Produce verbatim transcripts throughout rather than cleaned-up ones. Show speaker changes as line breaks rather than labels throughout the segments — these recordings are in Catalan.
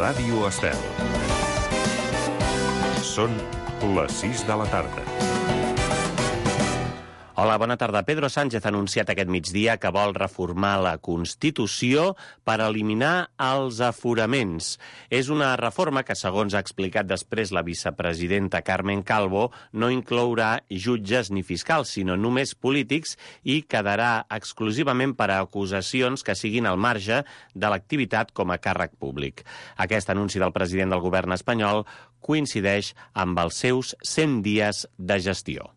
Ràdio Estel. Són les sis de la tarda.
Hola, bona tarda. Pedro Sánchez ha anunciat aquest migdia que vol reformar la Constitució per eliminar els aforaments. És una reforma que, segons ha explicat després la vicepresidenta Carmen Calvo, no inclourà jutges ni fiscals, sinó només polítics i quedarà exclusivament per a acusacions que siguin al marge de l'activitat com a càrrec públic. Aquest anunci del president del govern espanyol coincideix amb els seus cent dies de gestió.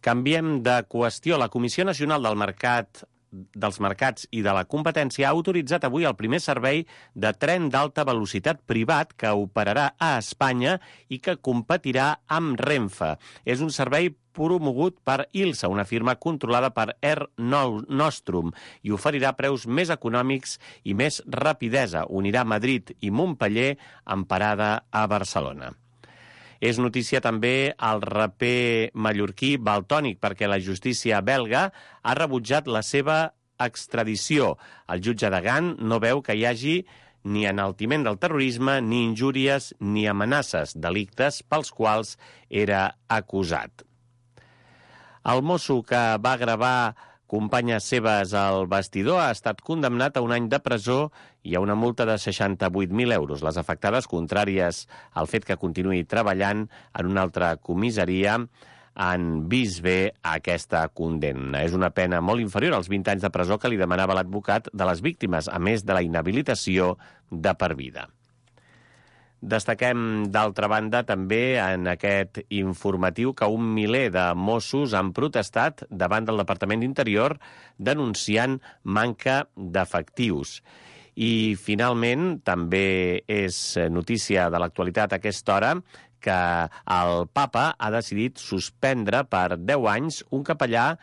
Canviem de qüestió. La Comissió Nacional del Mercat dels Mercats i de la Competència ha autoritzat avui el primer servei de tren d'alta velocitat privat que operarà a Espanya i que competirà amb Renfe. És un servei promogut per Ilsa, una firma controlada per Air Nostrum, i oferirà preus més econòmics i més rapidesa. Unirà Madrid i Montpeller amb parada a Barcelona. És notícia també el raper mallorquí Valtònyc, perquè la justícia belga ha rebutjat la seva extradició. El jutge de Gant no veu que hi hagi ni enaltiment del terrorisme, ni injúries, ni amenaces, delictes pels quals era acusat. El mosso que va gravar companyes seves al vestidor ha estat condemnat a un any de presó i a una multa de seixanta-vuit mil euros. Les afectades, contràries al fet que continuï treballant en una altra comissaria, han vist bé aquesta condemna. És una pena molt inferior als vint anys de presó que li demanava l'advocat de les víctimes, a més de la inhabilitació de per vida. Destaquem, d'altra banda, també en aquest informatiu que un miler de Mossos han protestat davant del Departament d'Interior denunciant manca d'efectius. I, finalment, també és notícia de l'actualitat a aquesta hora que el papa ha decidit suspendre per deu anys un capellà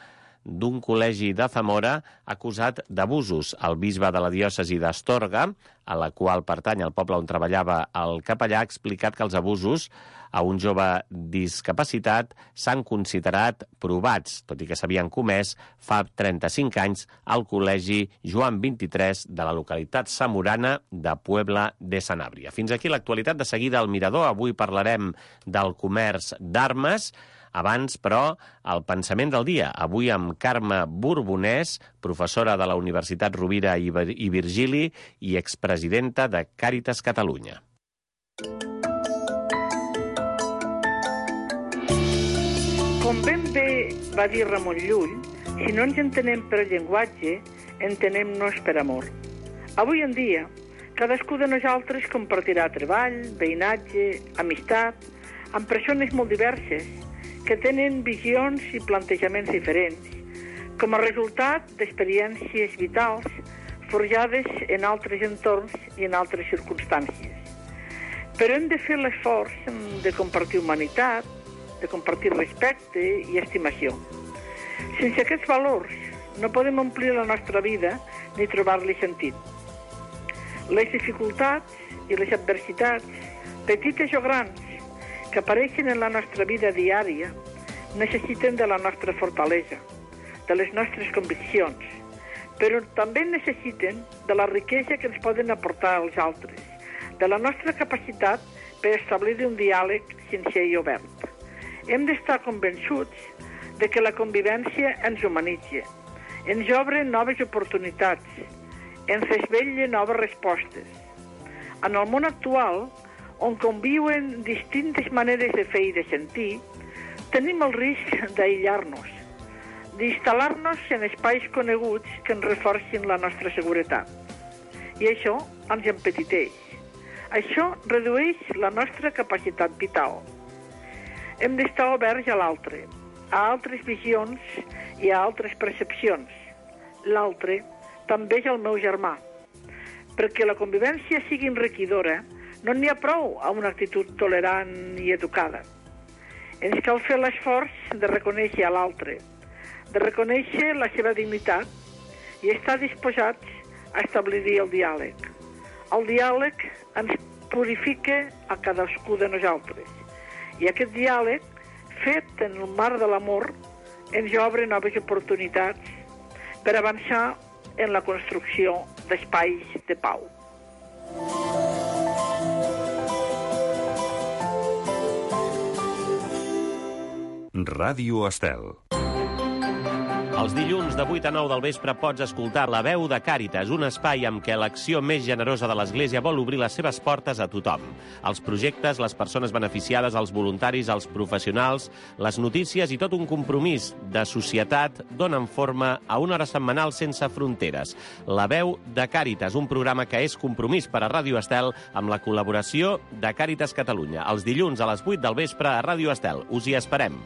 d'un col·legi de Zamora acusat d'abusos. El bisbe de la diòcesi d'Astorga, a la qual pertany el poble on treballava el capellà, ha explicat que els abusos a un jove discapacitat s'han considerat provats, tot i que s'havien comès fa trenta-cinc anys al col·legi Joan vint-i-tres de la localitat zamorana de Puebla de Sanabria. Fins aquí l'actualitat. De seguida al Mirador. Avui parlarem del comerç d'armes. Abans, però, el pensament del dia. Avui amb Carme Borbonès, professora de la Universitat Rovira i Virgili i expresidenta de Càritas Catalunya.
Com ben bé va dir Ramon Llull, si no ens entenem per llenguatge, entenem-nos per amor. Avui en dia, cadascú de nosaltres compartirà treball, veïnatge, amistat, amb persones molt diverses, que tenen visions i plantejaments diferents, com a resultat d'experiències vitals forjades en altres entorns i en altres circumstàncies. Però hem de fer l'esforç de compartir humanitat, de compartir respecte i estimació. Sense aquests valors no podem omplir la nostra vida ni trobar-li sentit. Les dificultats i les adversitats, petites o grans, que apareixen en la nostra vida diària, necessiten de la nostra fortalesa, de les nostres conviccions, però també necessiten de la riquesa que ens poden aportar els altres, de la nostra capacitat per establir un diàleg sincer i obert. Hem d'estar convençuts de que la convivència ens humanitza, ens obre noves oportunitats, ens desvetlla noves respostes. En el món actual, on conviuen distintes maneres de fer i de sentir, tenim el risc d'aïllar-nos, d'instal·lar-nos en espais coneguts que ens reforcin la nostra seguretat. I això ens empetiteix. Això redueix la nostra capacitat vital. Hem d'estar oberts a l'altre, a altres visions i a altres percepcions. L'altre també és el meu germà. Perquè la convivència sigui enriquidora, no n'hi ha prou a una actitud tolerant i educada. Ens cal fer l'esforç de reconèixer a l'altre, de reconèixer la seva dignitat i estar disposats a establir el diàleg. El diàleg ens purifica a cadascú de nosaltres. I aquest diàleg, fet en el marc de l'amor, ens obre noves oportunitats per avançar en la construcció d'espais de pau.
Ràdio Estel.
Els dilluns de vuit a nou del vespre pots escoltar La veu de Càritas, un espai amb què l'acció més generosa de l'Església vol obrir les seves portes a tothom. Els projectes, les persones beneficiades, els voluntaris, els professionals, les notícies i tot un compromís de societat donen forma a una hora setmanal sense fronteres. La veu de Càritas, un programa que és compromís per a Ràdio Estel amb la col·laboració de Càritas Catalunya. Els dilluns a les vuit del vespre a Ràdio Estel. Us hi esperem.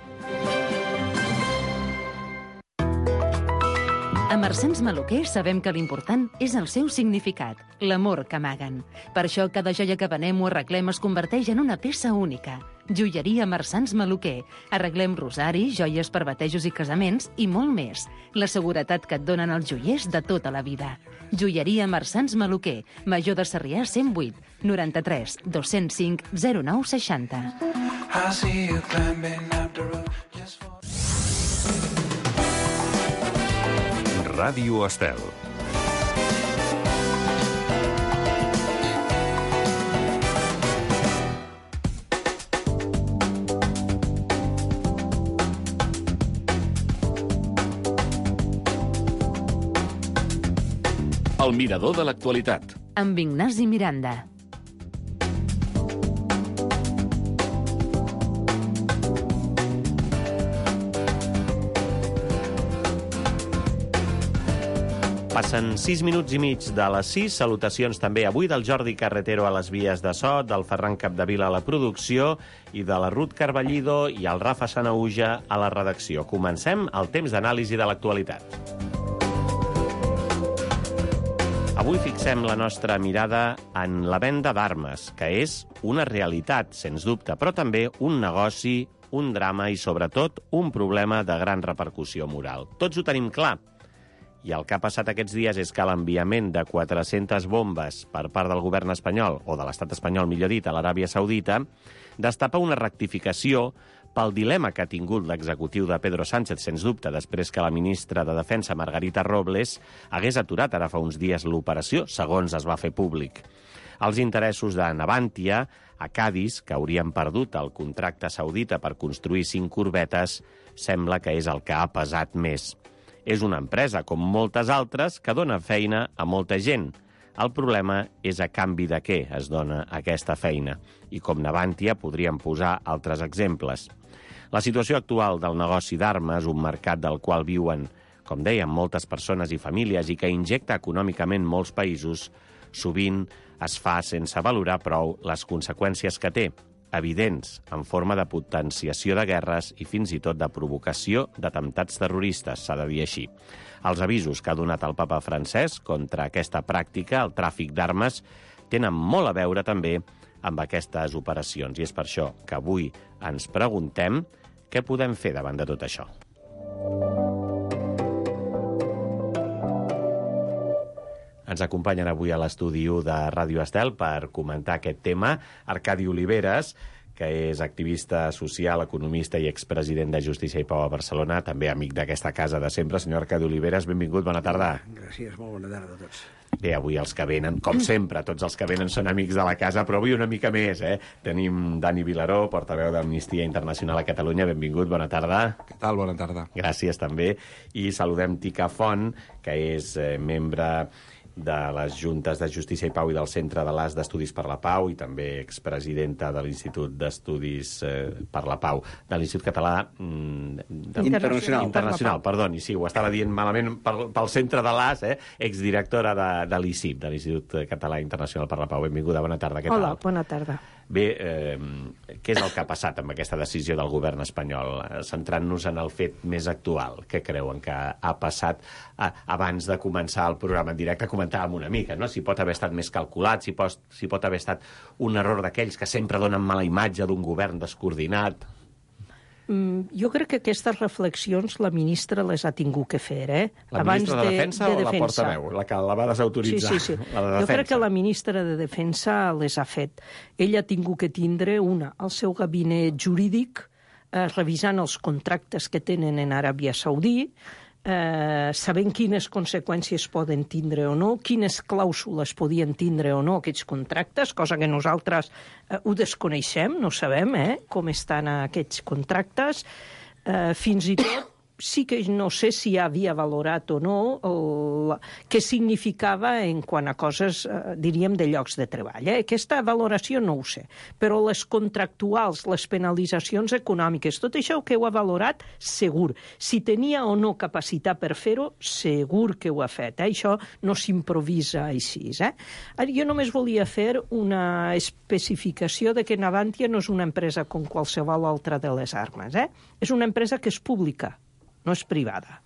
A Marsans Maluquer sabem que l'important és el seu significat, l'amor que amaguen. Per això cada joia que venem o arreglem es converteix en una peça única. Joieria Marsans Maluquer. Arreglem rosaris, joies per batejos i casaments i molt més. La seguretat que et donen els joiers de tota la vida. Joieria Marsans Maluquer. Major de Sarrià cent vuit, noranta-tres, dos-cents cinc, zero nou seixanta.
Ràdio Estel.
El mirador de l'actualitat.
Amb Ignasi Miranda.
Passen sis minuts i mig de les sis. Salutacions també avui del Jordi Carretero a les vies de so, del Ferran Capdevila a la producció i de la Ruth Carballido i el Rafa Sanauja a la redacció. Comencem el temps d'anàlisi de l'actualitat. Avui fixem la nostra mirada en la venda d'armes, que és una realitat, sens dubte, però també un negoci, un drama i, sobretot, un problema de gran repercussió moral. Tots ho tenim clar. I el que ha passat aquests dies és que l'enviament de quatre-centes bombes per part del govern espanyol, o de l'estat espanyol, millor dit, a l'Aràbia Saudita, destapa una rectificació pel dilema que ha tingut l'executiu de Pedro Sánchez, sens dubte, després que la ministra de Defensa, Margarita Robles, hagués aturat ara fa uns dies l'operació, segons es va fer públic. Els interessos de Navantia, a Cádiz, que haurien perdut el contracte saudita per construir cinc corbetes, sembla que és el que ha pesat més. És una empresa, com moltes altres, que dona feina a molta gent. El problema és a canvi de què es dona aquesta feina. I com Navantia podríem posar altres exemples. La situació actual del negoci d'armes, un mercat del qual viuen, com dèiem, moltes persones i famílies i que injecta econòmicament molts països, sovint es fa sense valorar prou les conseqüències que té, evidents, en forma de potenciació de guerres i fins i tot de provocació d'atemptats terroristes, s'ha de dir així. Els avisos que ha donat el papa francès contra aquesta pràctica, el tràfic d'armes, tenen molt a veure també amb aquestes operacions. I és per això que avui ens preguntem què podem fer davant de tot això. Ens acompanyen avui a l'estudi u de Ràdio Estel per comentar aquest tema Arcadi Oliveres, que és activista social, economista i expresident de Justícia i Pau a Barcelona, també amic d'aquesta casa de sempre. Senyor Arcadi Oliveres, benvingut, bona tarda.
Gràcies, molt bona tarda a tots.
Bé, avui els que venen, com sempre, tots els que venen són amics de la casa, però avui una mica més, eh? Tenim Dani Vilaró, portaveu d'Amnistia Internacional a Catalunya. Benvingut, bona tarda.
Què tal? Bona tarda.
Gràcies, també. I saludem Tica Font, que és eh, membre de les Juntes de Justícia i Pau i del Centre de l'As d'Estudis per la Pau i també expresidenta de l'Institut d'Estudis eh, per la Pau, de l'Institut Català mm, de...
Internacional.
Internacional, perdoni, sí, ho estava dient malament pel, pel Centre de l'As, eh? Exdirectora de, de l'I C I P, de l'Institut Català Internacional per la Pau. Benvinguda, bona tarda, què tal?
Hola, bona tarda.
Bé, eh, què és el que ha passat amb aquesta decisió del govern espanyol? Centrant-nos en el fet més actual, què creuen que ha passat eh, abans de començar el programa en directe? Comentàvem una mica, no? Si pot haver estat més calculat, si pot, si pot haver estat un error d'aquells que sempre donen mala imatge d'un govern descoordinat.
Mm, jo crec que aquestes reflexions la ministra les ha tingut que fer, eh?
La
Abans
ministra de, de Defensa
de
o
defensa.
la portaveu? La que la va desautoritzar?
Sí, sí, sí.
La de
jo crec que la ministra de Defensa les ha fet. Ella ha tingut que tindre una, el seu gabinet jurídic, eh, revisant els contractes que tenen en Aràbia Saudí, eh, sabent quines conseqüències poden tindre o no, quines clàusules podien tindre o no aquests contractes, cosa que nosaltres eh, ho desconeixem, no sabem eh, com estan aquests contractes, Eh, fins i tot, sí que no sé si havia valorat o no el, què significava en quant a coses, eh, diríem, de llocs de treball. Eh? Aquesta valoració no ho sé, però les contractuals, les penalitzacions econòmiques, tot això que ho ha valorat, segur. Si tenia o no capacitat per fer-ho, segur que ho ha fet. Eh? Això no s'improvisa així. Eh? Ara, jo només volia fer una especificació de que Navantia no és una empresa com qualsevol altra de les armes. Eh? És una empresa que és pública, no és privada.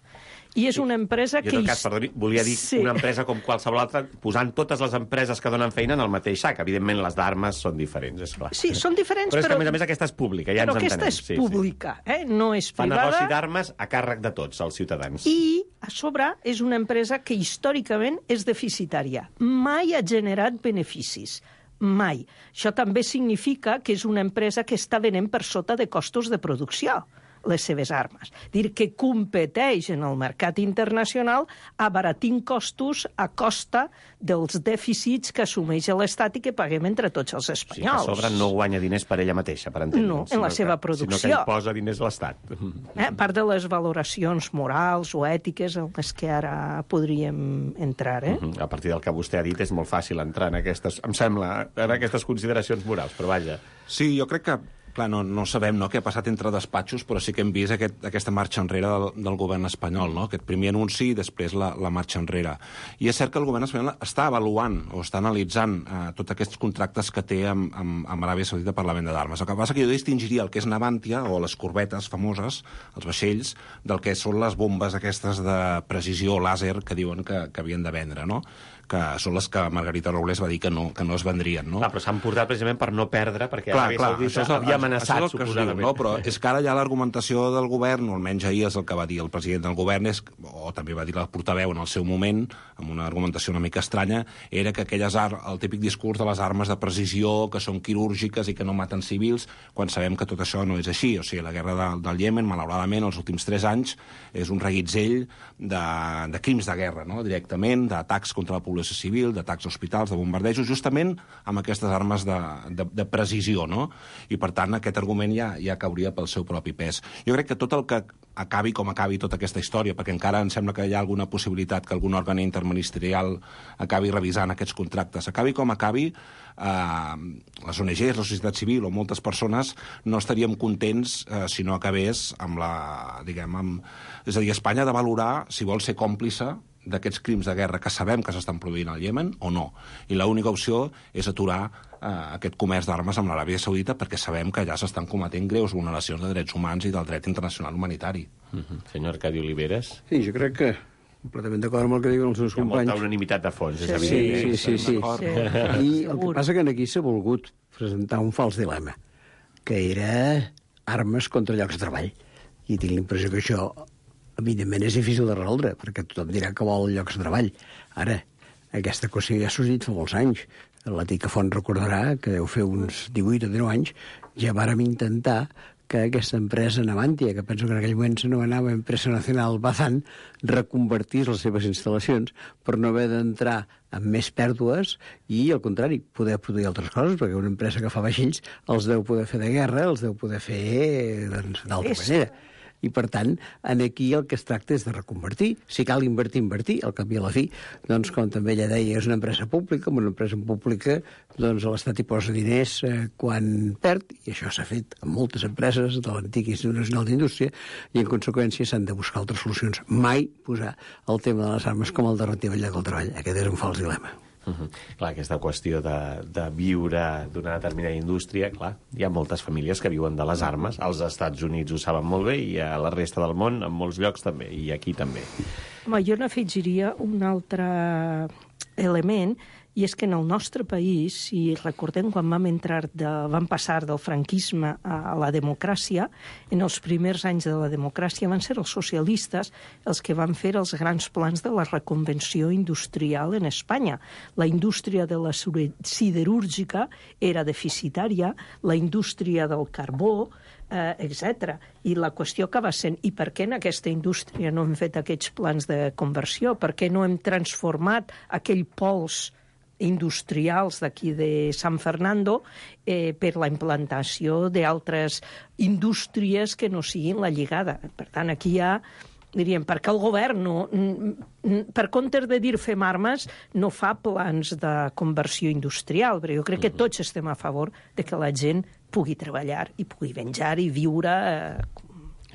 I és una empresa que...
Jo, en tot cas, perdoni, volia dir sí. una empresa com qualsevol altra, posant totes les empreses que donen feina en el mateix sac. Evidentment, les d'armes són diferents, és clar.
Sí, són diferents,
però... Però és que,
però...
a més a més, aquesta és pública, ja ens entenem.
Però aquesta és pública, sí, sí. Eh? No és
Fa
privada.
negoci d'armes a càrrec de tots, els ciutadans.
I, a sobre, és una empresa que històricament és deficitària. Mai ha generat beneficis. Mai. Això també significa que és una empresa que està venent per sota de costos de producció les seves armes. Dir que competeix en el mercat internacional abaratint costos a costa dels dèficits que assumeix l'Estat i que paguem entre tots els espanyols.
Sí, que a sobre no guanya diners per ella mateixa, per entendre'ns.
No, en la seva
que,
producció.
Sinó que hi posa diners l'Estat.
Eh, part de les valoracions morals o ètiques en les que ara podríem entrar. Eh?
Uh-huh. A partir del que vostè ha dit és molt fàcil entrar en aquestes, em sembla, en aquestes consideracions morals, però vaja.
Sí, jo crec que clar, no, no sabem no, què ha passat entre despatxos, però sí que hem vist aquest, aquesta marxa enrere del, del govern espanyol, no? Aquest primer anunci i després la, la marxa enrere. I és cert que el govern espanyol està avaluant o està analitzant eh, tots aquests contractes que té amb, amb, amb Aràbia Saudita per la venda d'armes. El que passa que jo distingiria el que és Navantia o les corbetes famoses, els vaixells, del que són les bombes aquestes de precisió làser que diuen que, que havien de vendre, no? Que són les que Margarita Robles va dir que no, que no es vendrien, no?
Clar, però s'han portat precisament per no perdre, perquè
clar,
Aràbia
clar,
Saudita
és el,
havia amenaçat,
és
suposadament.
Diu, no? Però és que ara ja l'argumentació del govern, o almenys ahir és el que va dir el president del govern, és, o també va dir la portaveu en el seu moment, amb una argumentació una mica estranya, era que aquelles ar el típic discurs de les armes de precisió, que són quirúrgiques i que no maten civils, quan sabem que tot això no és així. O sigui, la guerra de, del Iemen, malauradament, els últims tres anys, és un reguitzell de, de crims de guerra, no? Directament, d'atacs contra la població civil, d'atacs hospitals, de bombardejos, justament amb aquestes armes de, de, de precisió, no? I, per tant, aquest argument ja, ja cauria pel seu propi pes. Jo crec que tot el que acabi com acabi tota aquesta història, perquè encara em sembla que hi ha alguna possibilitat que algun òrgan interministerial acabi revisant aquests contractes. Acabi com acabi, eh, les O N Ges, la societat civil o moltes persones no estaríem contents eh, si no acabés amb la, diguem, amb... És a dir, Espanya ha de valorar si vol ser còmplice d'aquests crims de guerra que sabem que s'estan produint al Iemen o no. I l'única opció és aturar eh, aquest comerç d'armes amb l'Aràbia Saudita perquè sabem que allà s'estan cometent greus vulneracions de drets humans i del dret internacional humanitari.
Uh-huh. Senyor Arcadi Oliveres.
Sí, jo crec que completament d'acord amb el que diuen els seus
Hi ha
companys.
molta unanimitat de fons, és
sí,
evident.
Sí, sí, sí. sí. I el que passa que aquí s'ha volgut presentar un fals dilema, que era armes contra llocs de treball. I tinc la impressió que això evidentment és difícil de resoldre, perquè tothom dirà que vol llocs de treball. Ara, aquesta qüestió ja ha sorgit fa molts anys. La Tica Font recordarà que deu fer uns divuit o dinou anys ja vàrem intentar que aquesta empresa Navantia, que penso que en aquell moment s'anomenava Empresa Nacional Bazán, reconvertís les seves instal·lacions per no haver d'entrar amb més pèrdues i, al contrari, poder produir altres coses, perquè una empresa que fa vaixells els deu poder fer de guerra, els deu poder fer doncs, d'altra manera. I, per tant, en aquí el que es tracta és de reconvertir. Si cal invertir, invertir. Al cap i a la fi, doncs, com també ella deia, és una empresa pública, amb una empresa pública, doncs l'Estat hi posa diners eh, quan perd, i això s'ha fet amb moltes empreses de l'antic Institut Nacional d'Indústria, i, en conseqüència, s'han de buscar altres solucions. Mai posar el tema de les armes com a alternativa al lloc del treball. Aquest és un fals dilema.
Uh -huh. Clar, aquesta qüestió de, de viure d'una determinada indústria, clar, hi ha moltes famílies que viuen de les armes, als Estats Units ho saben molt bé, i a la resta del món, en molts llocs també, i aquí també.
Home, jo n'afegiria un altre element, i és que en el nostre país, si recordem quan vam entrar de, vam passar del franquisme a la democràcia, en els primers anys de la democràcia van ser els socialistes els que van fer els grans plans de la reconvenció industrial en Espanya. La indústria de la siderúrgica era deficitària, la indústria del carbó, eh, etcètera. I la qüestió acaba sent, i per què en aquesta indústria no hem fet aquests plans de conversió? Per què no hem transformat aquell pols industrials d'aquí de San Fernando eh, per la implantació d'altres indústries que no siguin la lligada. Per tant, aquí hi ha, diríem, perquè el govern, no, per compte de dir fem armes, no fa plans de conversió industrial, però jo crec que tots estem a favor de que la gent pugui treballar i pugui menjar i viure eh,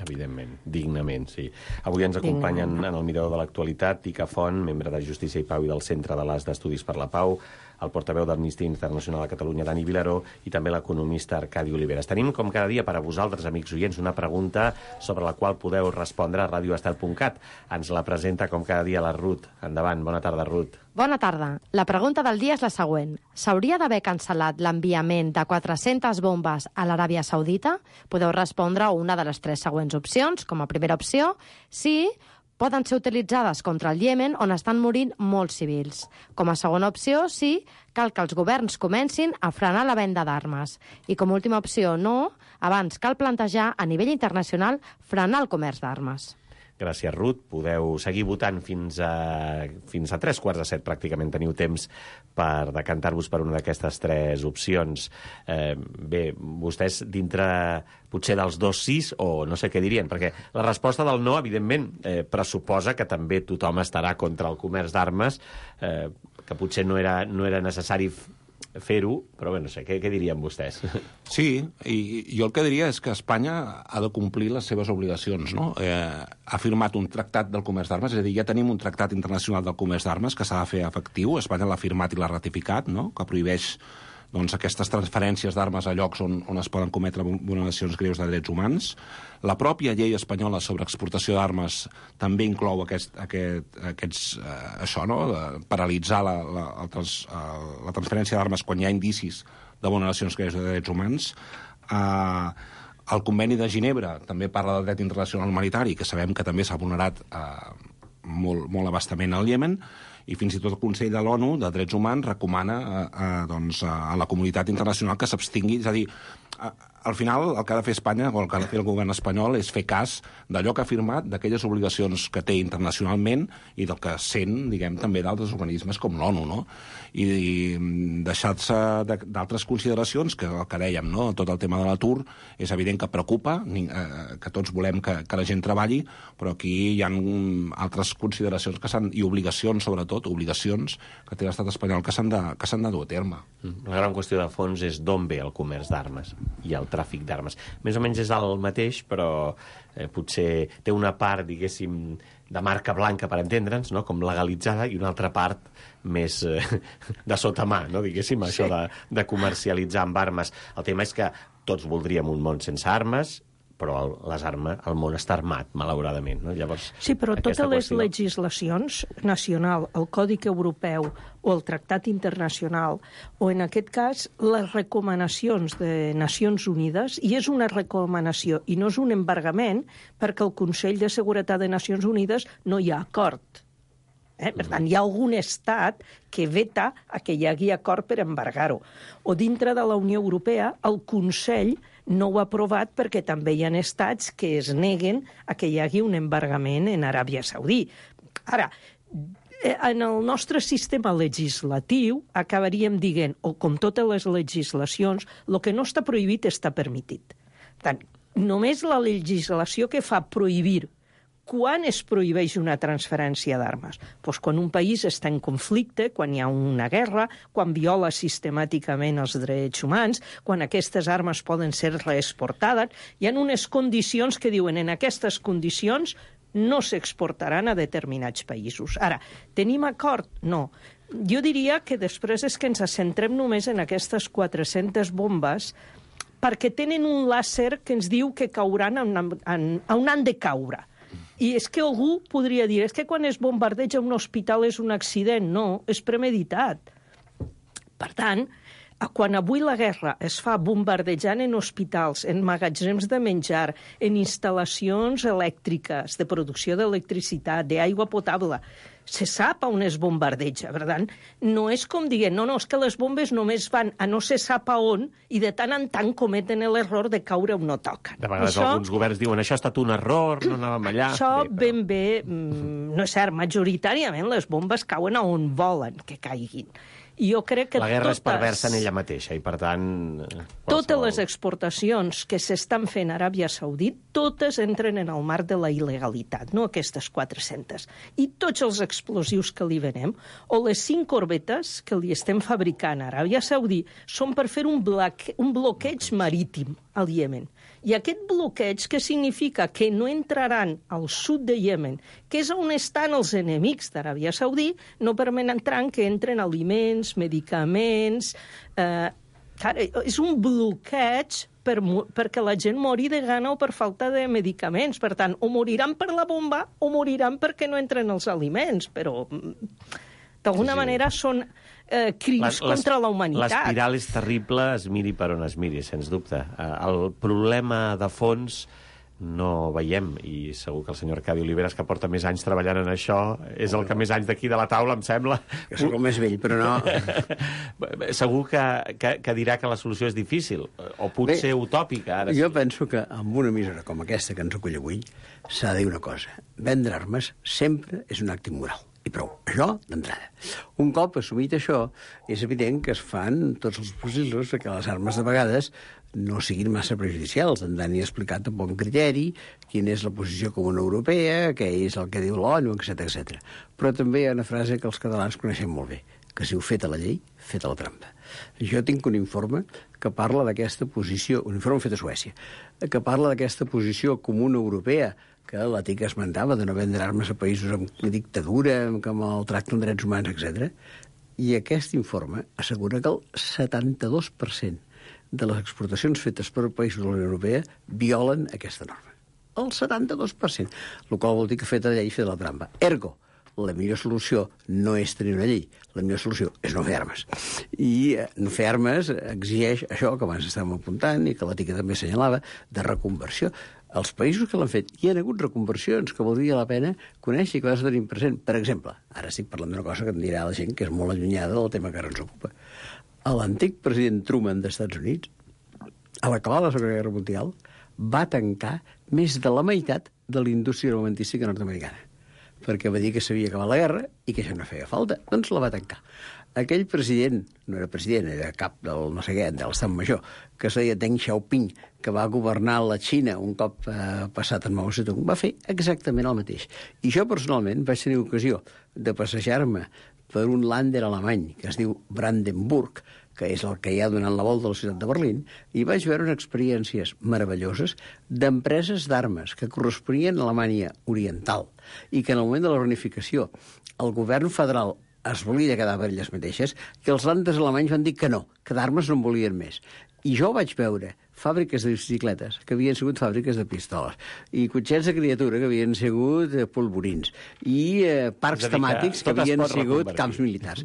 evidentment, dignament, sí. Avui ens acompanyen en el Mirador de l'Actualitat Ica Font, membre de Justícia i Pau i del Centre de l'As d'Estudis per la Pau, el portaveu d'Amnistia Internacional a Catalunya, Dani Vilaró, i també l'economista Arcadi Oliveres. Tenim, com cada dia, per a vosaltres, amics oients, una pregunta sobre la qual podeu respondre a radio estel punt cat. Ens la presenta, com cada dia, la Ruth. Endavant. Bona tarda, Ruth.
Bona tarda. La pregunta del dia és la següent. S'hauria d'haver cancel·lat l'enviament de quatre-centes bombes a l'Aràbia Saudita? Podeu respondre una de les tres següents opcions. Com a primera opció, sí, poden ser utilitzades contra el Iemen, on estan morint molts civils. Com a segona opció, sí, cal que els governs comencin a frenar la venda d'armes. I com a última opció, no, abans cal plantejar a nivell internacional frenar el comerç d'armes.
Gràcies, Ruth. Podeu seguir votant fins a, fins a tres quarts de set, pràcticament. Teniu temps per decantar-vos per una d'aquestes tres opcions. Eh, bé, vostès dintre potser dels dos sis, o no sé què dirien, perquè la resposta del no, evidentment, eh, pressuposa que també tothom estarà contra el comerç d'armes, eh, que potser no era, no era necessari fer-ho, però bé, no sé, què, què dirien vostès?
Sí, i jo el que diria és que Espanya ha de complir les seves obligacions, no? Eh, ha firmat un tractat del comerç d'armes, és a dir, ja tenim un tractat internacional del comerç d'armes que s'ha de fer efectiu, Espanya l'ha firmat i l'ha ratificat, no? Que prohibeix doncs, aquestes transferències d'armes a llocs on, on es poden cometre vulneracions greus de drets humans. La pròpia llei espanyola sobre exportació d'armes també inclou aquest, aquest, aquests, eh, això, no? De paralitzar la, la, la, trans, eh, la transferència d'armes quan hi ha indicis de vulneracions greus de drets humans. Eh, el Conveni de Ginebra també parla del dret internacional humanitari, que sabem que també s'ha vulnerat eh, molt, molt abastament al Iemen, i fins i tot el Consell de l'ONU de Drets Humans recomana eh, eh, doncs, a la comunitat internacional que s'abstingui. És a dir, eh, al final el que ha de fer Espanya, o el que ha de fer el govern espanyol, és fer cas d'allò que ha firmat, d'aquelles obligacions que té internacionalment i del que sent, diguem, també d'altres organismes com l'ONU, no? I, i deixar-se d'altres consideracions, que el que dèiem, no? Tot el tema de l'atur és evident que preocupa, eh, que tots volem que, que la gent treballi, però aquí hi ha altres consideracions que s'han, i obligacions, sobretot, obligacions que té l'estat espanyol que s'han de, que s'han de dur a terme.
La gran qüestió de fons és d'on ve el comerç d'armes i el tràfic d'armes. Més o menys és el mateix, però eh, potser té una part, diguéssim, de marca blanca, per entendre'ns, no? Com legalitzada, i una altra part més eh, de sota mà, no? Diguéssim, sí. Això de, de comercialitzar amb armes. El tema és que tots voldríem un món sense armes, però el, les armes, el món està armat, malauradament. No? Llavors,
sí, però totes les
qüestió...
legislacions nacional, el Còdic Europeu o el Tractat Internacional, o en aquest cas les recomanacions de Nacions Unides, i és una recomanació i no és un embargament, perquè el Consell de Seguretat de Nacions Unides no hi ha acord. Eh? Per tant, hi ha algun estat que veta a que hi hagi acord per embargar-ho. O dintre de la Unió Europea, el Consell no ho ha aprovat perquè també hi ha estats que es neguen a que hi hagi un embargament en Aràbia Saudí. Ara, en el nostre sistema legislatiu acabaríem dient, o com totes les legislacions, el que no està prohibit està permitit. Per tant, només la legislació que fa prohibir. Quan es prohibeix una transferència d'armes? Doncs quan un país està en conflicte, quan hi ha una guerra, quan viola sistemàticament els drets humans, quan aquestes armes poden ser reexportades. Hi ha unes condicions que diuen en aquestes condicions no s'exportaran a determinats països. Ara, tenim acord? No. Jo diria que després és que ens centrem només en aquestes quatre-centes bombes perquè tenen un làser que ens diu que cauran on, on han de caure. I és que algú podria dir, és que quan es bombardeja un hospital és un accident. No, és premeditat. Per tant, quan avui la guerra es fa bombardejant en hospitals, en magatzems de menjar, en instal·lacions elèctriques, de producció d'electricitat, d'aigua potable, se sap on es bombardeja, per tant, no és com dient, no, no, és que les bombes només van a no se sap a on i de tant en tant cometen l'error de caure on no toquen.
De vegades això, alguns governs diuen, això ha estat un error, no anàvem allà.
Això bé, però... ben bé, no és cert, majoritàriament les bombes cauen a on volen que caiguin. I jo crec que
la guerra
totes,
és perversa en ella mateixa, i per tant...
Totes les exportacions que s'estan fent a Aràbia Saudita, totes entren en el marc de la il·legalitat, no aquestes quatre-centes. I tots els explosius que li venem, o les cinc corbetes que li estem fabricant a Aràbia Saudita, són per fer un, bloque, un bloqueig marítim al Iemen. I aquest bloqueig, que significa que no entraran al sud de Iemen, que és on estan els enemics d'Aràbia Saudita, no permetran que entren aliments, medicaments... Eh, cara, és un bloqueig per, perquè la gent mori de gana o per falta de medicaments. Per tant, o moriran per la bomba o moriran perquè no entren els aliments, però... D'alguna sí, sí. manera són eh, crims la, contra la humanitat.
L'espiral és terrible, es miri per on es miri, sens dubte. El problema de fons no veiem, i segur que el senyor Arcadi Oliveres, que porta més anys treballant en això, és el que més anys d'aquí de la taula, em sembla.
Que sóc el més vell, però no...
Segur que, que, que dirà que la solució és difícil, o potser Bé, utòpica. Ara
jo
sí.
penso que amb una emissora com aquesta que ens acull avui s'ha de dir una cosa. Vendre armes sempre és un acte immoral. I prou. Això, d'entrada. Un cop assumit això, és evident que es fan tots els possibles que les armes de vegades no siguin massa prejudicials. En Dani ha explicat amb bon criteri quina és la posició comuna europea, què és el que diu l'ONU, etcètera etcètera. Però també hi ha una frase que els catalans coneixem molt bé, que si heu fet a la llei, fet a la trampa. Jo tinc un informe que parla d'aquesta posició, un informe fet a Suècia, que parla d'aquesta posició comuna europea, que la T I C esmentava, de no vendre armes a països amb dictadura, amb maltracte amb drets humans, etcètera. I aquest informe assegura que el setanta-dos per cent de les exportacions fetes per països de la Unió Europea violen aquesta norma. El setanta-dos per cent, el qual vol dir que feta la llei i fer la trampa. Ergo, la millor solució no és tenir una llei, la millor solució és no fer armes. I eh, no fer armes exigeix això que abans estàvem apuntant i que la T I C també assenyalava, de reconversió. Els països que l'han fet hi ha hagut reconversions que valdria la pena conèixer i que vas tenir present. Per exemple, ara estic parlant d'una cosa que em dirà la gent que és molt allunyada del tema que ara ens ocupa. L'antic president Truman dels Estats Units, a l'acabar la Segona Guerra Mundial, va tancar més de la meitat de la indústria armamentística nord-americana, perquè va dir que s'havia acabat la guerra i que això no feia falta. Doncs la va tancar. Aquell president, no era president, era cap del no sé què, de l'Estat Major, que es deia Deng Xiaoping, que va governar la Xina un cop eh, passat en Mao Zedong, va fer exactament el mateix. I jo personalment vaig tenir ocasió de passejar-me per un lànder alemany que es diu Brandenburg, que és el que hi ha donant la volta a la ciutat de Berlín, i vaig veure unes experiències meravelloses d'empreses d'armes que corresponien a Alemanya Oriental i que en el moment de la reunificació el govern federal es volia quedar per elles mateixes, que els landes alemanys van dir que no, que d'armes no en volien més. I jo vaig veure fàbriques de bicicletes que havien sigut fàbriques de pistoles i cotxets de criatura que havien sigut polvorins i eh, parcs temàtics que, que havien sigut camps militars.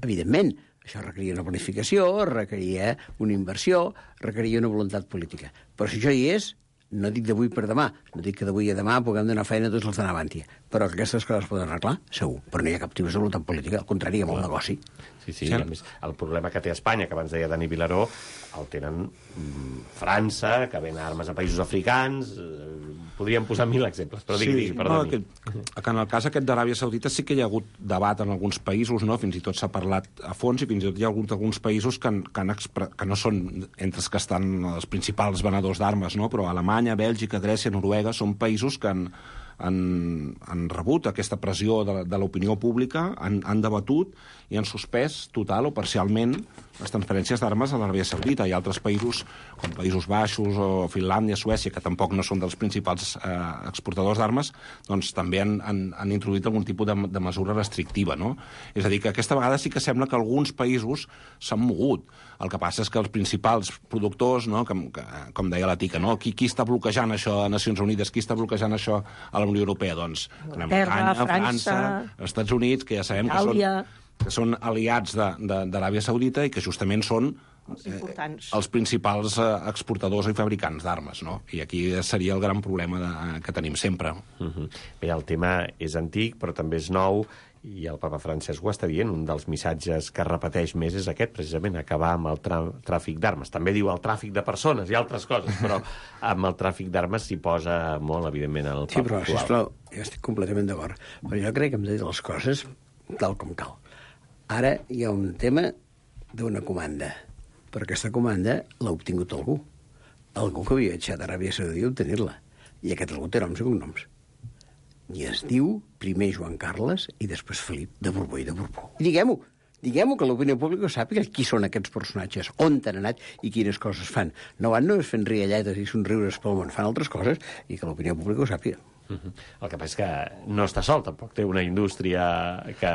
Evidentment, això requeria una planificació, requeria una inversió, requeria una voluntat política. Però si això hi és, no dic d'avui per demà, no dic que d'avui a demà puguem donar feina a tots els d'Anavantia, però que aquestes coses es poden arreglar, segur, però no hi ha cap tipus de voluntat política, al contrari, hi ha molt negoci.
Sí, sí, a més, el problema que té Espanya, que abans deia Dani Vilaró, el tenen mm, França, que ven armes a països africans, eh, podríem posar mil exemples, però digui, sí, digui, perdoni.
No, que, que en el cas aquest d'Aràbia Saudita sí que hi ha hagut debat en alguns països, no? Fins i tot s'ha parlat a fons i fins i tot hi ha hagut alguns països que, han, que, han expre... que no són entre els que estan els principals venedors d'armes, no? Però Alemanya, Bèlgica, Grècia, Noruega són països que han, han, han rebut aquesta pressió de, de l'opinió pública, han, han debatut i han suspès total o parcialment les transferències d'armes a l'Aràbia Saudita. Hi ha altres països, com Països Baixos o Finlàndia, Suècia, que tampoc no són dels principals eh, exportadors d'armes, doncs també han, han, han introduït algun tipus de, de mesura restrictiva, no? És a dir, que aquesta vegada sí que sembla que alguns països s'han mogut. El que passa és que els principals productors, no, que, que, com deia la Tica, no? qui, qui està bloquejant això a Nacions Unides, qui està bloquejant això a la Unió Europea? Doncs Alemanya, França, els Estats Units, que ja sabem que són, que són aliats d'Aràbia Saudita i que justament són eh, els principals eh, exportadors i fabricants d'armes, no? I aquí seria el gran problema de, que tenim sempre.
Uh-huh. Bé, el tema és antic, però també és nou, i el papa Francesc ho està dient, un dels missatges que repeteix més és aquest, precisament, acabar amb el tràfic d'armes. També diu el tràfic de persones i altres coses, però amb el tràfic d'armes s'hi posa molt, evidentment, el papa
Sí, però, sisplau, jo estic completament d'acord. Però jo crec que hem de dir les coses tal com cal. Ara hi ha un tema d'una comanda, però aquesta comanda l'ha obtingut algú. Algú que havia viatjat a Aràbia Saudita a obtenir-la. I aquest algú té noms i cognoms. I es diu primer Joan Carles i després Felip de Borbó i de Borbó. I diguem-ho, diguem-ho, que l'opinió pública sàpiga qui són aquests personatges, on han anat i quines coses fan. No van només fent rialletes i somriures pel món, fan altres coses i que l'opinió pública ho sàpiga.
Uh-huh. El que passa és que no està sol, tampoc té una indústria que,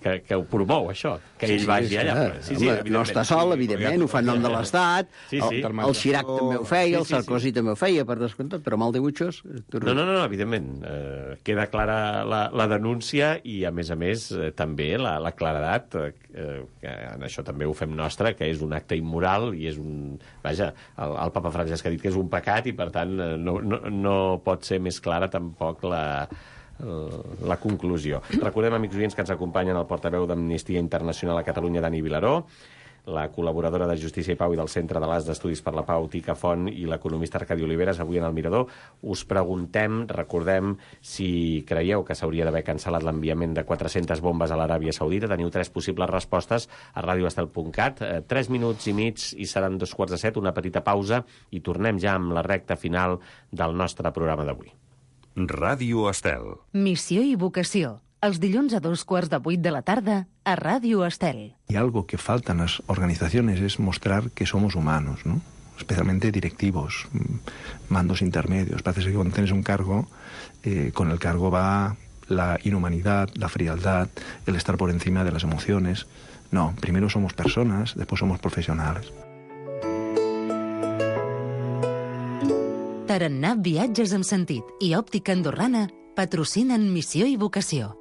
que, que ho promou, això, que
sí,
ell
sí,
vagi allà.
Home, sí, sí, no està sol, evidentment, ho fa en nom de l'Estat, sí, sí. El, el Chirac també ho feia, sí, sí, el Sarkozy sí. també ho feia, per descomptat, però mal dibuixos...
No, no, no, evidentment, eh, queda clara la, la denúncia i, a més a més, eh, també la, la claredat, eh, que en això també ho fem nostre, que és un acte immoral i és un... Vaja, el, el papa Francesc ha dit que és un pecat i, per tant, no, no, no pot ser més clara tampoc la... la conclusió. Recordem, amics oients, que ens acompanyen el portaveu d'Amnistia Internacional a Catalunya, Dani Vilaró, la col·laboradora de Justícia i Pau i del Centre de l'As d'Estudis per la Pau, Tica Font, i l'economista Arcadi Oliveres, avui en el Mirador. Us preguntem, recordem, si creieu que s'hauria d'haver cancel·lat l'enviament de quatre-centes bombes a l'Aràbia Saudita. Teniu tres possibles respostes a radio estel punt cat. Eh, tres minuts i mig i seran dos quarts de set, una petita pausa, i tornem ja amb la recta final del nostre programa d'avui.
Ràdio Estel.
Missió i vocació. Els dilluns a dos quarts de vuit de la tarda a Ràdio Estel.
Y algo que falta en las organizaciones es mostrar que somos humanos, ¿no? Especialmente directivos, mandos intermedios. Parece que cuando tienes un cargo, eh, con el cargo va la inhumanidad, la frialdad, el estar por encima de las emociones. No, primero somos personas, después somos profesionales.
Tarannà Viatges amb Sentit i Òptica Andorrana patrocinen Missió i Vocació.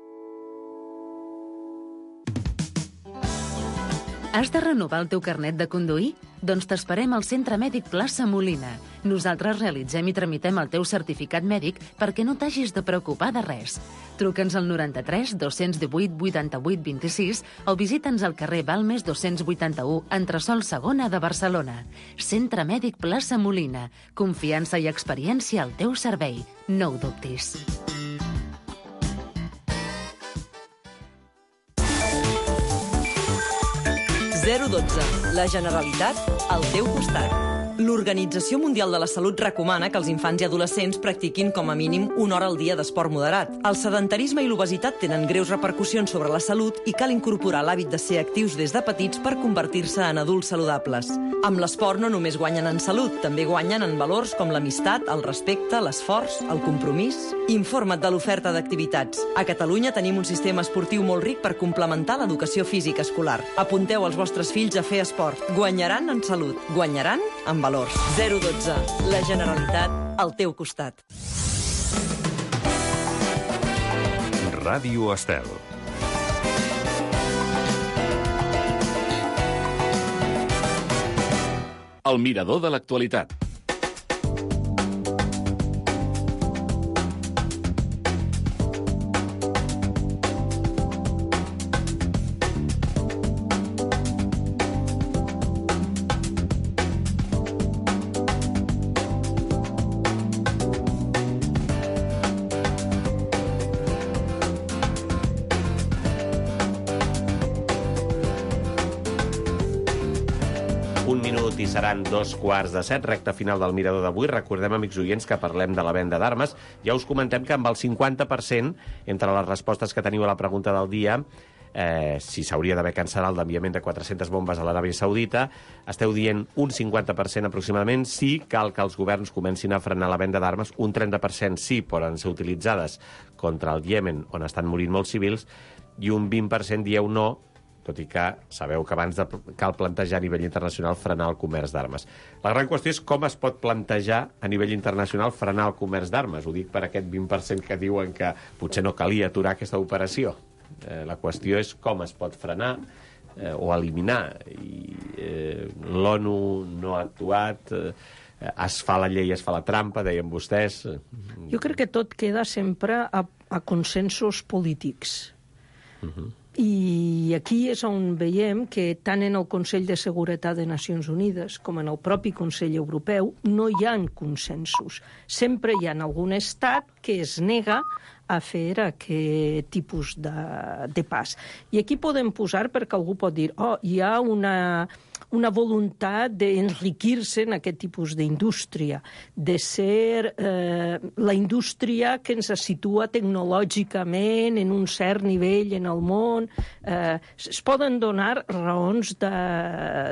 Has de renovar el teu carnet de conduir? Doncs t'esperem al Centre Mèdic Plaça Molina. Nosaltres realitzem i tramitem el teu certificat mèdic perquè no t'hagis de preocupar de res. Truca'ns al noranta-tres dos-cents divuit vuitanta-vuit vint-i-sis o visita'ns al carrer Balmes dos-cents vuitanta-u, entresòl segona de Barcelona. Centre Mèdic Plaça Molina. Confiança i experiència al teu servei. No ho dubtis.
zero dotze. La Generalitat al teu costat. L'Organització Mundial de la Salut recomana que els infants i adolescents practiquin com a mínim una hora al dia d'esport moderat. El sedentarisme i l'obesitat tenen greus repercussions sobre la salut i cal incorporar l'hàbit de ser actius des de petits per convertir-se en adults saludables. Amb l'esport no només guanyen en salut, també guanyen en valors com l'amistat, el respecte, l'esforç, el compromís. Informa't de l'oferta d'activitats. A Catalunya tenim un sistema esportiu molt ric per complementar l'educació física escolar. Apunteu els vostres fills a fer esport. Guanyaran en salut, guanyaran en valors. zero dotze. La Generalitat al teu costat.
Ràdio Estel.
El mirador de l'actualitat.
Un minut i seran dos quarts de set, recta final del Mirador d'avui. Recordem, amics oients, que parlem de la venda d'armes. Ja us comentem que amb el cinquanta per cent, entre les respostes que teniu a la pregunta del dia, eh, si s'hauria d'haver cancel·lat l'enviament de quatre-centes bombes a l'Aràbia Saudita, esteu dient un cinquanta per cent aproximadament sí, cal que els governs comencin a frenar la venda d'armes, un trenta per cent sí, poden ser utilitzades contra el Iemen, on estan morint molts civils, i un vint per cent dieu no, tot i que sabeu que abans de, cal plantejar a nivell internacional frenar el comerç d'armes. La gran qüestió és com es pot plantejar a nivell internacional frenar el comerç d'armes. Ho dic per aquest vint per cent que diuen que potser no calia aturar aquesta operació. Eh, la qüestió és com es pot frenar eh, o eliminar. I eh, l'ONU no ha actuat, eh, es fa la llei, es fa la trampa, deien vostès.
Jo crec que tot queda sempre a, a consensos polítics.
Uh-huh.
I aquí és on veiem que tant en el Consell de Seguretat de Nacions Unides com en el propi Consell Europeu no hi ha consensos. Sempre hi ha algun estat que es nega a fer aquest tipus de, de pas. I aquí podem posar, perquè algú pot dir, oh, hi ha una, una voluntat d'enriquir-se en aquest tipus d'indústria, de ser eh, la indústria que ens situa tecnològicament en un cert nivell en el món. Eh, es poden donar raons de,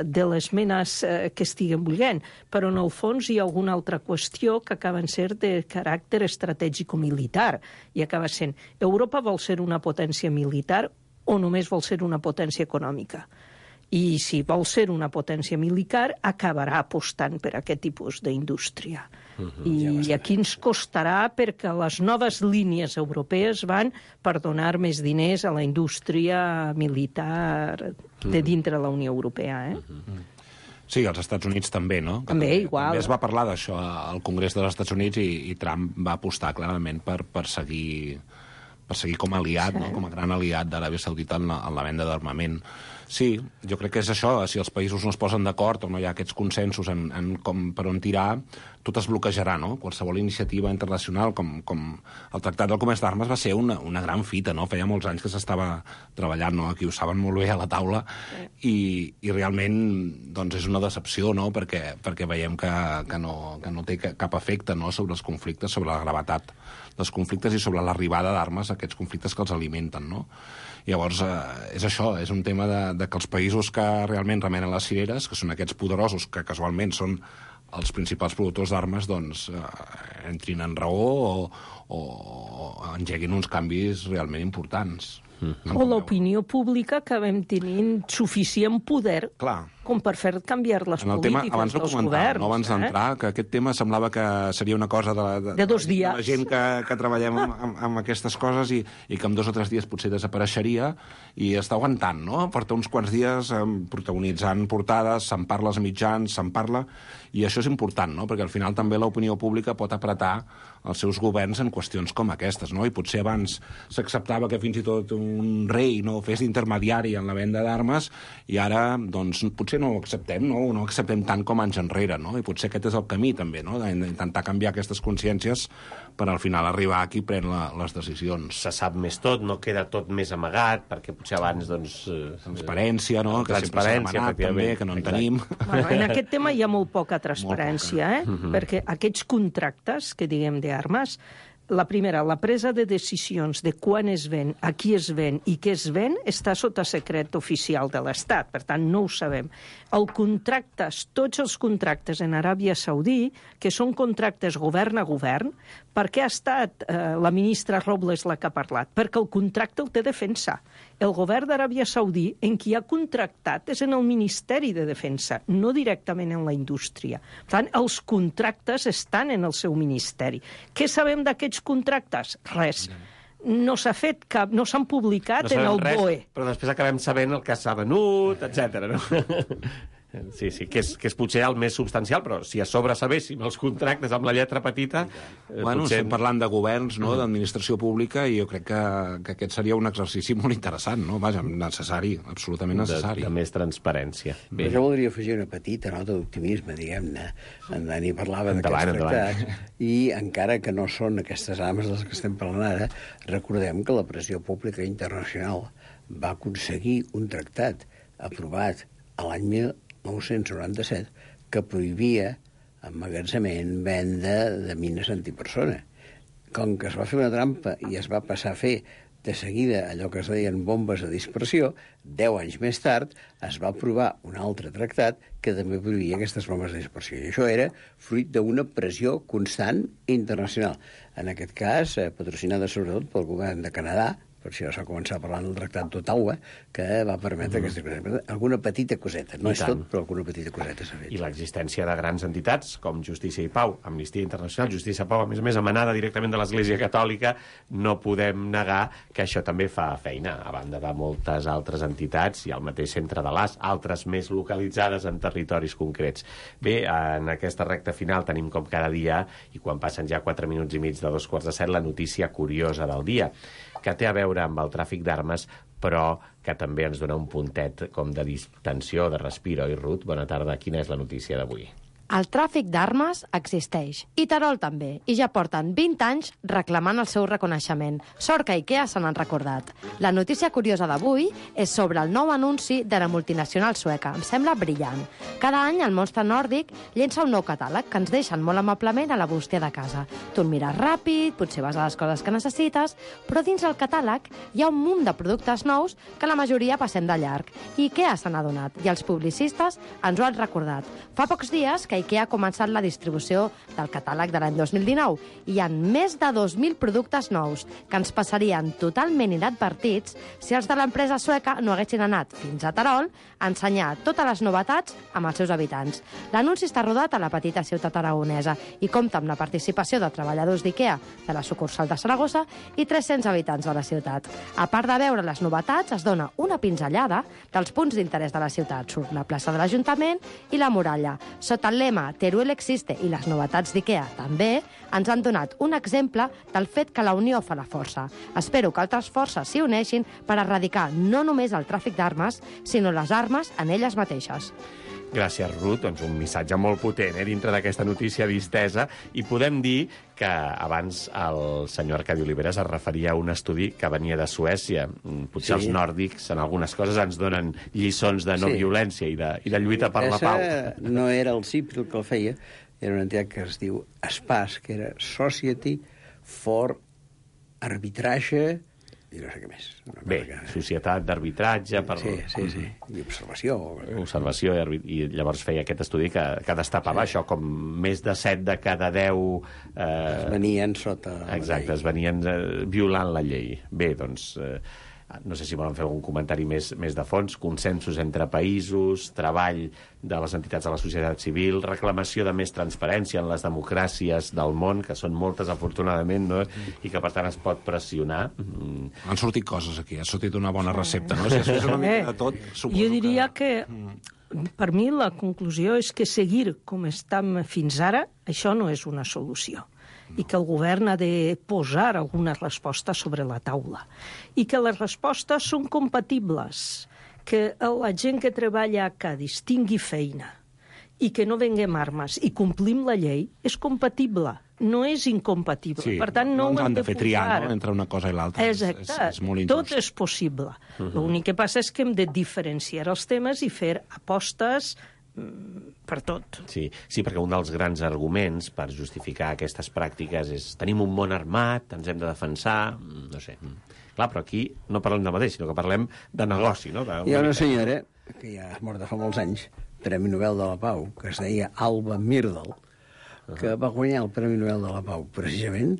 de les menes eh, que estiguen volent, però en el fons hi ha alguna altra qüestió que acaben ser de caràcter estratègico-militar, i acaba sent, Europa vol ser una potència militar o només vol ser una potència econòmica? I si vol ser una potència militar, acabarà apostant per aquest tipus d'indústria. Uh-huh. I aquí ens costarà, perquè les noves línies europees van per donar més diners a la indústria militar de dintre la Unió Europea. Eh?
Uh-huh. Sí, als Estats Units també, no? Que
també,
també,
igual.
També es va parlar d'això al Congrés dels Estats Units i, i Trump va apostar clarament per, per, seguir, per seguir com a aliat, sí. no? Com a gran aliat d'Aràbia Saudita en la, en la venda d'armament. Sí, jo crec que és això, si els països no es posen d'acord o no hi ha aquests consensos en, en com per on tirar, tot es bloquejarà, no? Qualsevol iniciativa internacional, com, com el Tractat del Comerç d'Armes, va ser una, una gran fita, no? Feia molts anys que s'estava treballant, no? Aquí ho saben molt bé a la taula, i, i realment doncs, és una decepció, no? Perquè, perquè veiem que, que, no, que no té cap efecte, no? Sobre els conflictes, sobre la gravetat dels conflictes i sobre l'arribada d'armes a aquests conflictes que els alimenten, no? Llavors, eh, és això, és un tema de, de que els països que realment remenen les cireres, que són aquests poderosos que casualment són els principals productors d'armes, doncs eh, entrin en raó o, o, o engeguin uns canvis realment importants.
Mm-hmm. O l'opinió pública que vam tenint suficient poder
Clar.
com per fer canviar les
en el tema,
polítiques
abans no
dels
comentar,
governs.
No abans d'entrar, eh? Que aquest tema semblava que seria una cosa de, de,
de dos dies.
De la gent que, que treballem amb, amb, amb aquestes coses i, i que en dos o tres dies potser desapareixeria, i està aguantant, no? Porta uns quants dies eh, protagonitzant portades, se'n parla als mitjans, se'n parla, i això és important, no? Perquè al final també l'opinió pública pot apretar els seus governs en qüestions com aquestes, no? I potser abans s'acceptava que fins i tot un rei no fes d'intermediari en la venda d'armes, i ara, doncs, potser no ho acceptem, no? No ho acceptem tant com anys enrere, no? I potser aquest és el camí, també, no? D'intentar canviar aquestes consciències per al final arribar a qui pren la, les decisions.
Se sap més tot, no queda tot més amagat, perquè potser abans, doncs...
Transparència, no? Que sempre s'ha demanat, també, que no en tenim.
Bueno, en aquest tema hi ha molt poca transparència, eh? Mm-hmm. Perquè aquests contractes, que diguem d'armes, la primera, la presa de decisions de quan es ven, a qui es ven i què es ven, està sota secret oficial de l'Estat, per tant, no ho sabem. El contractes, tots els contractes en Aràbia Saudí, que són contractes govern a govern, per què ha estat eh, la ministra Robles la que ha parlat? Perquè el contracte el té Defensa. El govern d'Aràbia Saudí, en qui ha contractat, és en el Ministeri de Defensa, no directament en la indústria. Per tant, els contractes estan en el seu ministeri. Què sabem d'aquests contractes? Res. No s'ha fet cap, no s'han publicat no en el
res,
B O E.
Però després acabem sabent el que s'ha venut, etcètera, no? Sí, sí, que és, que és potser el més substancial, però si a sobre sabéssim els contractes amb la lletra petita...
Eh, bueno, potser... estem parlant de governs, no?, mm. d'administració pública, i jo crec que, que aquest seria un exercici molt interessant, no? Vaja, necessari, absolutament necessari.
De, de més transparència.
Bé. Jo voldria afegir una petita nota d'optimisme, diguem-ne. En Dani parlava d'aquests tractats, i encara que no són aquestes armes de les que estem parlant ara, recordem que la pressió pública internacional va aconseguir un tractat aprovat a l'any mil nou-cents noranta-set que prohibia emmagatzemament, venda de mines antipersona. Com que es va fer una trampa i es va passar a fer de seguida allò que es deien bombes de dispersió, deu anys més tard es va aprovar un altre tractat que també prohibia aquestes bombes de dispersió. I això era fruit d'una pressió constant internacional. En aquest cas, eh, patrocinada sobretot pel govern de Canadà, per això s'ha començat parlant del Tractat d'Ottawa, que va permetre mm. aquesta cosa. Alguna petita coseta, no I és tant. Tot, però alguna petita coseta s'ha fet.
I l'existència de grans entitats com Justícia i Pau, Amnistia Internacional, Justícia i Pau, a més a més, emanada directament de l'Església Catòlica, no podem negar que això també fa feina, a banda de moltes altres entitats i el mateix Centre de l'A S, altres més localitzades en territoris concrets. Bé, en aquesta recta final tenim com cada dia, i quan passen ja quatre minuts i mig de dos quarts de set, la notícia curiosa del dia, que té a veure amb el tràfic d'armes, però que també ens dona un puntet com de distensió, de respiro. I Ruth, bona tarda. Quina és la notícia d'avui?
El tràfic d'armes existeix, i Terol també, i ja porten vint anys reclamant el seu reconeixement. Sort que IKEA se n'han recordat. La notícia curiosa d'avui és sobre el nou anunci de la multinacional sueca. Em sembla brillant. Cada any el monstre nòrdic llença un nou catàleg que ens deixen molt amablement a la bústia de casa. Tu el mires ràpid, potser vas a les coses que necessites, però dins el catàleg hi ha un munt de productes nous que la majoria passem de llarg. I IKEA se n'ha donat, i els publicistes ens ho han recordat. Fa pocs dies que IKEA ha començat la distribució del catàleg de l'any dos mil dinou i hi ha més de dos mil productes nous que ens passarien totalment inadvertits si els de l'empresa sueca no haguessin anat fins a Terol a ensenyar totes les novetats amb els seus habitants. L'anunci està rodat a la petita ciutat aragonesa i compta amb la participació de treballadors d'IKEA de la sucursal de Saragossa i tres-cents habitants de la ciutat. A part de veure les novetats, es dona una pinzellada dels punts d'interès de la ciutat. Surt la plaça de l'Ajuntament i la muralla. Sota el lema Teruel existe i les novetats d'IKEA també, ens han donat un exemple del fet que la unió fa la força. Espero que altres forces s'hi uneixin per erradicar no només el tràfic d'armes, sinó les armes en elles mateixes.
Gràcies, Ruth. Doncs un missatge molt potent eh, dintre d'aquesta notícia distesa. I podem dir que abans el senyor Arcadi Oliveres es referia a un estudi que venia de Suècia. Potser sí. Els nòrdics en algunes coses ens donen lliçons de no sí. violència i de, i de lluita per la pau.
No era el C I P el que el feia, era una entitat que es diu SPAS, que era Society for Arbitratge i no sé què més.
Bé, societat d'arbitratge... Per...
Sí, sí, sí. I observació.
Observació, i, i llavors feia aquest estudi que, que destapava sí. això, com més de set de cada deu... Eh...
Es venien sota la
Exacte,
llei.
es venien eh, violant la llei. Bé, doncs... Eh... No sé si volen fer algun comentari més, més de fons. Consensos entre països, treball de les entitats de la societat civil, reclamació de més transparència en les democràcies del món, que són moltes, afortunadament, no? I que, per tant, es pot pressionar. Mm.
Han sortit coses aquí, ha sortit una bona recepta, no? Si és una mica de tot, suposo
jo diria que...
que...
Per mi la conclusió és que seguir com estem fins ara, això no és una solució. I que el govern ha de posar alguna resposta sobre la taula. I que les respostes són compatibles, que la gent que treballa a Cádiz tingui feina i que no venguem armes i complim la llei és compatible, no és incompatible.
Sí,
per tant, no,
no ens han de fer triar,
no?
Entre una cosa i l'altra.
Exacte,
és, és molt injust.
Tot és possible.
Uh-huh.
L'únic que passa és que hem de diferenciar els temes i fer apostes per tot.
Sí, sí, perquè un dels grans arguments per justificar aquestes pràctiques és tenim un món armat, ens hem de defensar, no sé. Clar, però aquí no parlem de mateix, sinó que parlem de negoci, no? De...
Hi ha una senyora, que ja és morta fa molts anys, Premi Nobel de la Pau, que es deia Alba Myrdal, que va guanyar el Premi Nobel de la Pau precisament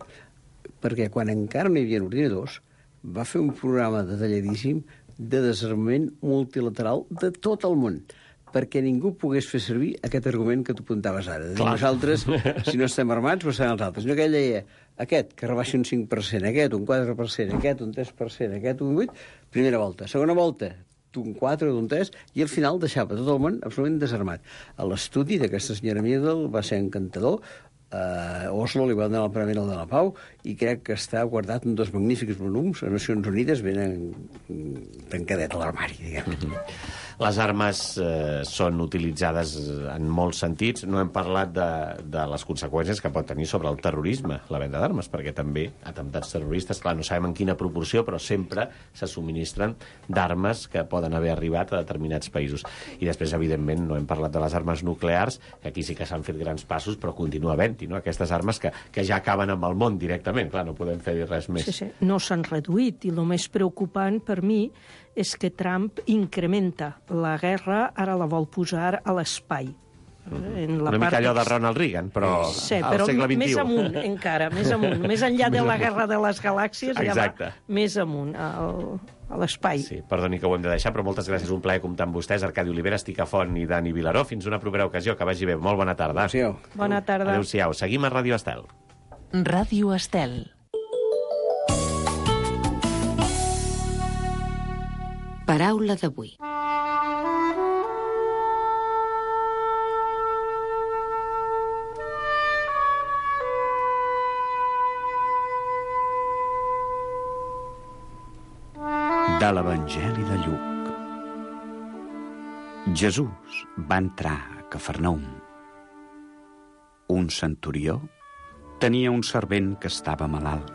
perquè quan encara no hi havia ordinadors va fer un programa detalladíssim de desarmament multilateral de tot el món, perquè ningú pogués fer servir aquest argument que tu apuntaves ara. De dir, nosaltres, si no estem armats, ho seran els altres. No, que ell deia, aquest, que rebaixi un cinc per cent, aquest, un quatre per cent, aquest, un tres per cent, aquest, un vuit per cent, primera volta. Segona volta, d'un quatre, d'un tres, i al final deixava tot el món absolutament desarmat. L'estudi d'aquesta senyora Myrdal va ser encantador. A Oslo li van donar el Premi Nobel de la Pau i crec que està guardat en dos magnífics volums a Nacions Unides ben tancadet a l'armari, diguem.
Mm-hmm. Les armes eh, són utilitzades en molts sentits. No hem parlat de, de les conseqüències que pot tenir sobre el terrorisme, la venda d'armes, perquè també atemptats terroristes, clar, no sabem en quina proporció, però sempre se subministren d'armes que poden haver arribat a determinats països. I després, evidentment, no hem parlat de les armes nuclears, que aquí sí que s'han fet grans passos, però continua havent-hi, no? Aquestes armes que, que ja acaben amb el món directament. Clar, no podem fer res més.
Sí, sí. No s'han reduït, i el més preocupant per mi és que Trump incrementa la guerra, ara la vol posar a l'espai.
En la Una mica part allò de Ronald Reagan, però
sí,
al
però
segle vint-i-u.
Més amunt, encara, més amunt. Més enllà de la guerra de les galàxies,
Exacte.
Ja va més amunt, al, a l'espai.
Sí, perdoni que ho hem de deixar, però moltes gràcies. Un plaer comptar amb vostès, Arcadi Oliveres, Ticafont i Dani Vilaró. Fins una propera ocasió. Que vagi bé. Molt bona tarda.
Adéu-siau.
Bona tarda.
Adéu-siau. Seguim a Ràdio Estel.
Ràdio Estel. Paraula d'avui.
De l'Evangeli de Lluc. Jesús va entrar a Cafarnaum Un centurió tenia un servent que estava malalt.